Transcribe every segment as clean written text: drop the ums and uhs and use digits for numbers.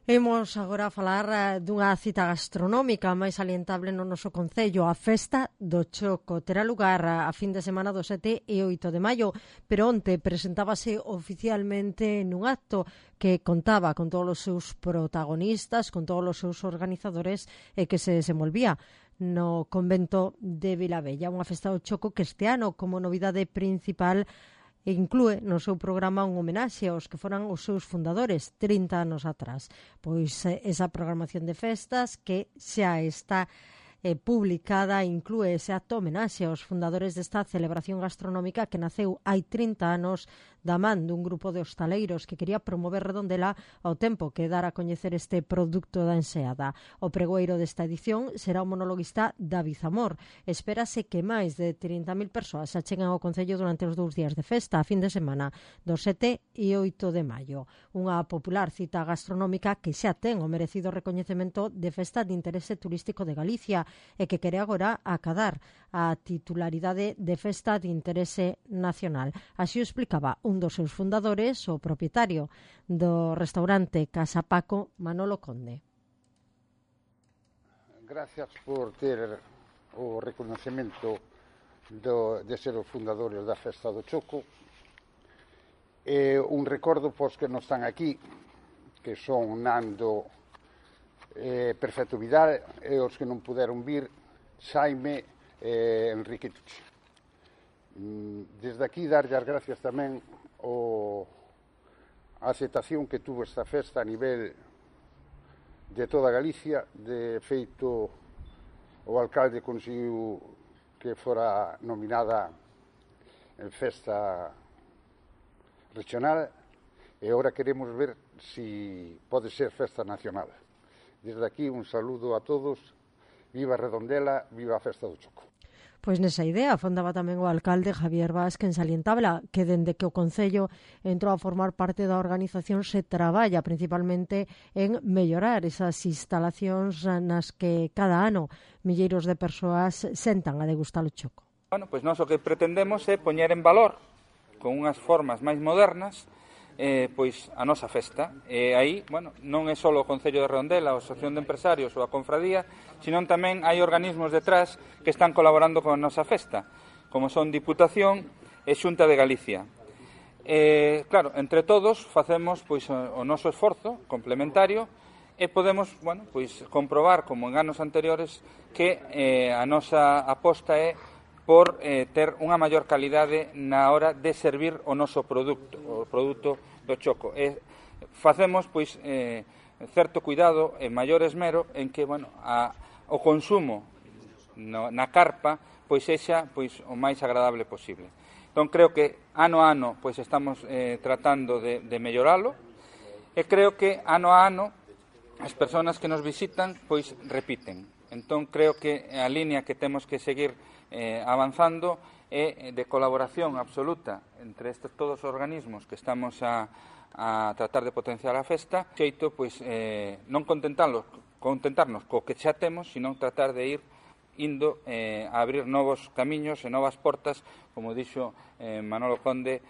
Imos agora a falar dunha cita gastronómica máis salientable no noso concello, a Festa do Choco. Terá lugar a fin de semana do 7 e 8 de maio, pero onte presentábase oficialmente nun acto que contaba con todos os seus protagonistas, con todos os seus organizadores e que se desenvolvía no convento de Vilabella. Unha festa do Choco que este ano, como novidade principal, inclúe no seu programa un homenaxe aos que foran os seus fundadores 30 anos atrás. Pois esa programación de festas que xa está publicada inclúe ese acto homenaxe aos fundadores desta celebración gastronómica que naceu hai 30 anos da man dun grupo de hostaleiros que quería promover Redondela ao tempo que dar a coñecer este produto da enseada. O pregoeiro desta edición será o monologuista David Zamor. Espérase que máis de 30.000 persoas se acheguen ao concello durante os 2 días de festa a fin de semana do 7 e 8 de maio. Unha popular cita gastronómica que xa ten o merecido recoñecemento de festa de interese turístico de Galicia e que quere agora acadar a titularidade de festa de interese nacional. Así o explicaba un dos seus fundadores, o propietario do restaurante Casa Paco, Manolo Conde. Gracias por ter o reconocemento de ser os fundadores da Festa do Choco. Un recordo pos que non están aquí, que son Nando, Perfecto Vidal, e os que non puderon vir, Xaime e Enrique Tucci. Desde aquí darlle as gracias tamén a aceptación que tuvo esta festa a nivel de toda Galicia. De feito, o alcalde conseguiu que fora nominada en festa regional e agora queremos ver si pode ser festa nacional. Desde aquí un saludo a todos, viva Redondela, viva a Festa do Choco. Pois nesa idea afondaba tamén o alcalde Javier Vázquez en salientaba que dende que o Concello entrou a formar parte da organización se traballa principalmente en mellorar esas instalacións nas que cada ano milleiros de persoas sentan a degustar o choco. Bueno, pois nós o que pretendemos é poñer en valor con unhas formas máis modernas pois a nosa festa. E aí, bueno, non é só o Concello de Redondela, a Asociación de Empresarios ou a Confradía, senón tamén hai organismos detrás que están colaborando con a nosa festa, como son Diputación e Xunta de Galicia. Claro, entre todos facemos pois o noso esforzo complementario e podemos, bueno, pois comprobar, como en anos anteriores, que a nosa aposta é por ter unha maior calidade na hora de servir o noso produto, o produto do choco. Facemos pois certo cuidado e maior esmero en que, bueno, o consumo na carpa pois sexa pois o máis agradable posible. Entón creo que ano a ano pois estamos tratando de melloralo e creo que ano a ano as persoas que nos visitan pois repiten. Entón creo que a línea que temos que seguir avanzando é de colaboración absoluta entre todos os organismos que estamos a tratar de potenciar a festa, xeito pois non contentarnos co que xa temos, sino tratar de ir indo a abrir novos camiños e novas portas, como dixo Manolo Conde,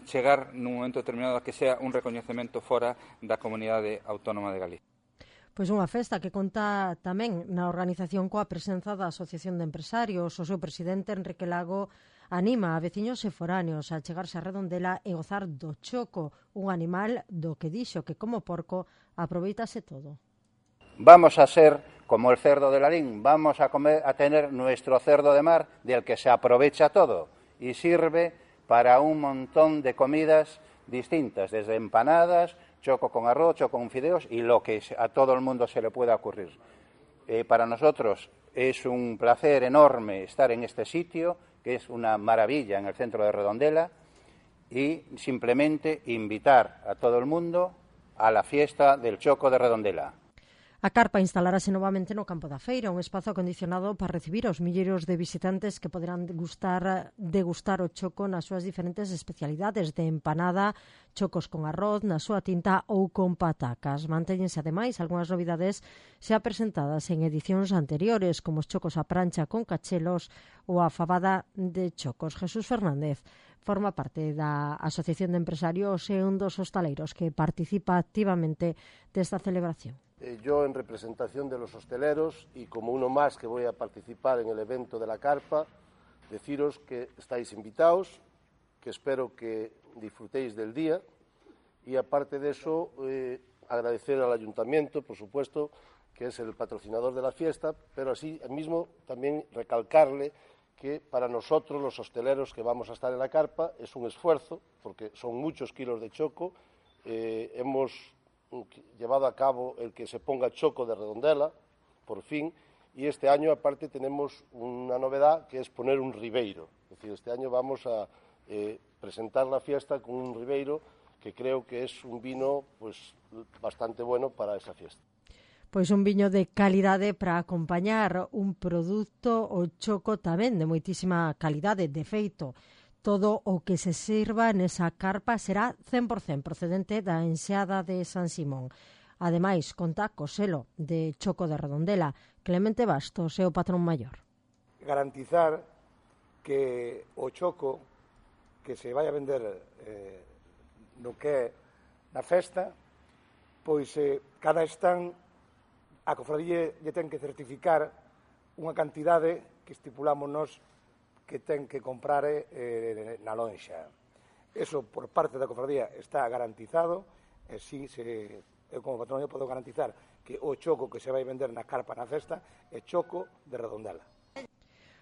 chegar nun momento determinado a que sea un recoñecemento fora da Comunidade Autónoma de Galicia. Pois unha festa que conta tamén na organización coa presenza da Asociación de Empresarios. O seu presidente, Enrique Lago, anima a veciños e foráneos a chegarse a Redondela e gozar do choco, un animal do que dixo que como porco aproveitase todo. Vamos a ser como el cerdo de Larín, vamos a tener nuestro cerdo de mar del que se aprovecha todo y sirve para un montón de comidas distintas, desde empanadas, choco con arroz, choco con fideos y lo que a todo el mundo se le pueda ocurrir. Para nosotros es un placer enorme estar en este sitio, que es una maravilla en el centro de Redondela, y simplemente invitar a todo el mundo a la fiesta del Choco de Redondela. A carpa instalarase novamente no campo da feira, un espazo acondicionado para recibir aos milleiros de visitantes que poderán degustar o choco nas súas diferentes especialidades de empanada, chocos con arroz, na súa tinta ou con patacas. Mantéñense ademais algunhas novidades xa presentadas en edicións anteriores, como os chocos a prancha con cachelos ou a fabada de chocos. Jesús Fernández forma parte da Asociación de Empresarios e un dos hostaleiros que participa activamente desta celebración. Yo, en representación de los hosteleros y como uno más que voy a participar en el evento de la carpa, deciros que estáis invitados, que espero que disfrutéis del día y, aparte de eso, agradecer al Ayuntamiento, por supuesto, que es el patrocinador de la fiesta, pero así mismo también recalcarle que para nosotros, los hosteleros que vamos a estar en la carpa, es un esfuerzo, porque son muchos kilos de choco. Hemos llevado a cabo el que se ponga choco de Redondela, por fin, y este año aparte tenemos una novedad que es poner un ribeiro. Es decir, este año vamos a presentar la fiesta con un ribeiro que creo que es un vino pues bastante bueno para esa fiesta. Pois un viño de calidade para acompañar un produto, o choco tamén de moitísima calidade. De feito, todo o que se sirva nesa carpa será 100% procedente da enseada de San Simón. Ademais, conta co selo de choco de Redondela. Clemente Bastos é o patrón maior. Garantizar que o choco que se vai a vender no que é na festa, pois cada stand a cofradía lle ten que certificar unha cantidade que estipulamos nós que ten que comprar na lonxa. Eso, por parte da cofradía, está garantizado, e si eu como patrón podo garantizar que o choco que se vai vender na carpa na festa é choco de Redondela.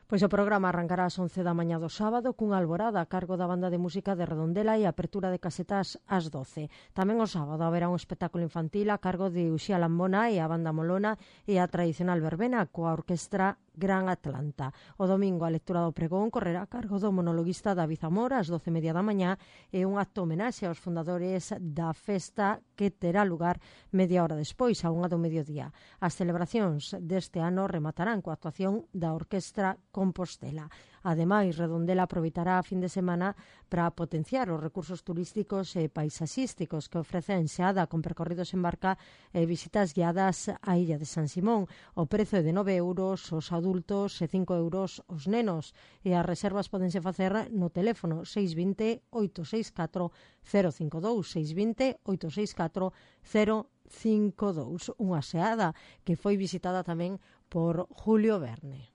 Pois o programa arrancará ás 11 da mañá do sábado cunha alborada a cargo da banda de música de Redondela e apertura de casetas ás 12. Tamén o sábado haberá un espectáculo infantil a cargo de Uxía Lambona e a banda Molona e a tradicional verbena coa orquestra Gran Atlanta. O domingo a lectura do pregón correrá a cargo do monologuista David Zamora ás 12:30 da mañá e un acto homenaxe aos fundadores da festa que terá lugar media hora despois, a 1 do mediodía. As celebracións deste ano rematarán coa actuación da Orquestra Compostela. Ademais, Redondela aproveitará a fin de semana para potenciar os recursos turísticos e paisaxísticos que ofrece a enseada con percorridos en barca e visitas guiadas á illa de San Simón. O prezo é de 9 euros os adultos e 5 euros os nenos e as reservas podense facer no teléfono 620 864 052 620 864 052. Unha seada que foi visitada tamén por Julio Verne.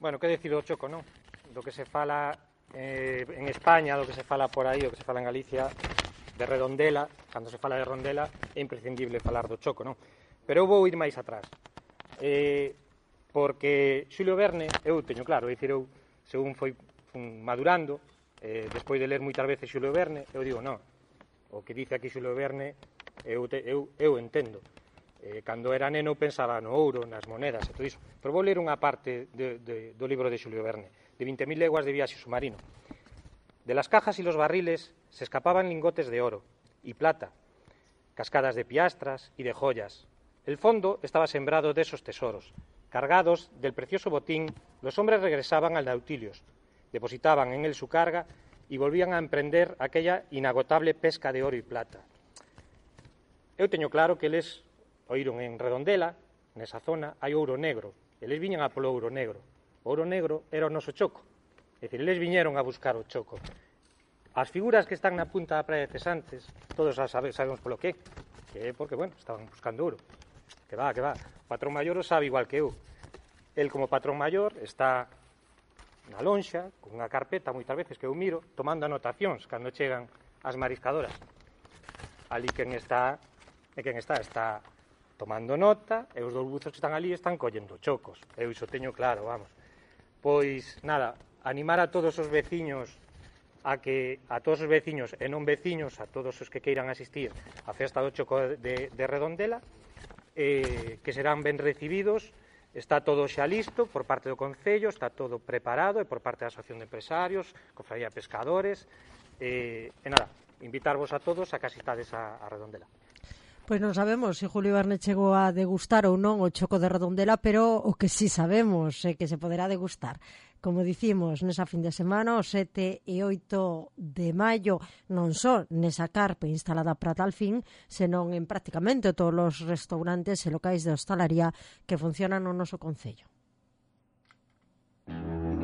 Bueno, que decir do choco, non? Do que se fala en España, do que se fala por aí, do que se fala en Galicia, de Redondela, cando se fala de Redondela, é imprescindible falar do choco, non? Pero eu vou ir máis atrás. Porque Xulio Verne, eu teño claro, é dicir, eu, según foi madurando, despois de ler moitas veces Xulio Verne, eu digo, non, o que dice aquí Xulio Verne, eu entendo. Cando era neno pensaba no ouro, nas monedas e todo iso. Pero vou ler unha parte do libro de Xulio Verne, de 20.000 leguas de viaxe submarino. De las cajas y los barriles se escapaban lingotes de oro y plata, cascadas de piastras y de joyas. El fondo estaba sembrado de esos tesoros. Cargados del precioso botín, los hombres regresaban al Nautilus, depositaban en él su carga y volvían a emprender aquella inagotable pesca de oro y plata. Eu teño claro que eles oíron en Redondela, nesa zona, hai ouro negro. Eles viñan a polo ouro negro. O ouro negro era o noso choco. É dicir, eles viñeron a buscar o choco. As figuras que están na punta da praia de Cesantes, todos sabemos polo que é porque, bueno, estaban buscando ouro. Que va. O patrón maior o sabe igual que eu. El, como patrón maior, está na lonxa, con unha carpeta, moitas veces que eu miro, tomando anotacións cando chegan as mariscadoras. Ali quen está tomando nota, e os dous buzos que están ali están collendo chocos. Eu iso teño claro, vamos. Pois, nada, animar a todos os veciños a todos os veciños e non veciños, a todos os que queiran asistir á festa do choco de Redondela, que serán ben recibidos. Está todo xa listo por parte do Concello, está todo preparado e por parte da Asociación de Empresarios, Cofradía de Pescadores, e nada, invitarvos a todos a que asistades a Redondela. Pois non sabemos se Julio Verne chegou a degustar ou non o choco de Redondela, pero o que sí sabemos é que se poderá degustar. Como dicimos, nesa fin de semana, o 7 e 8 de maio, non só nesa carpa instalada para tal fin, senón en prácticamente todos os restaurantes e locais de hostalaría que funcionan no noso concello.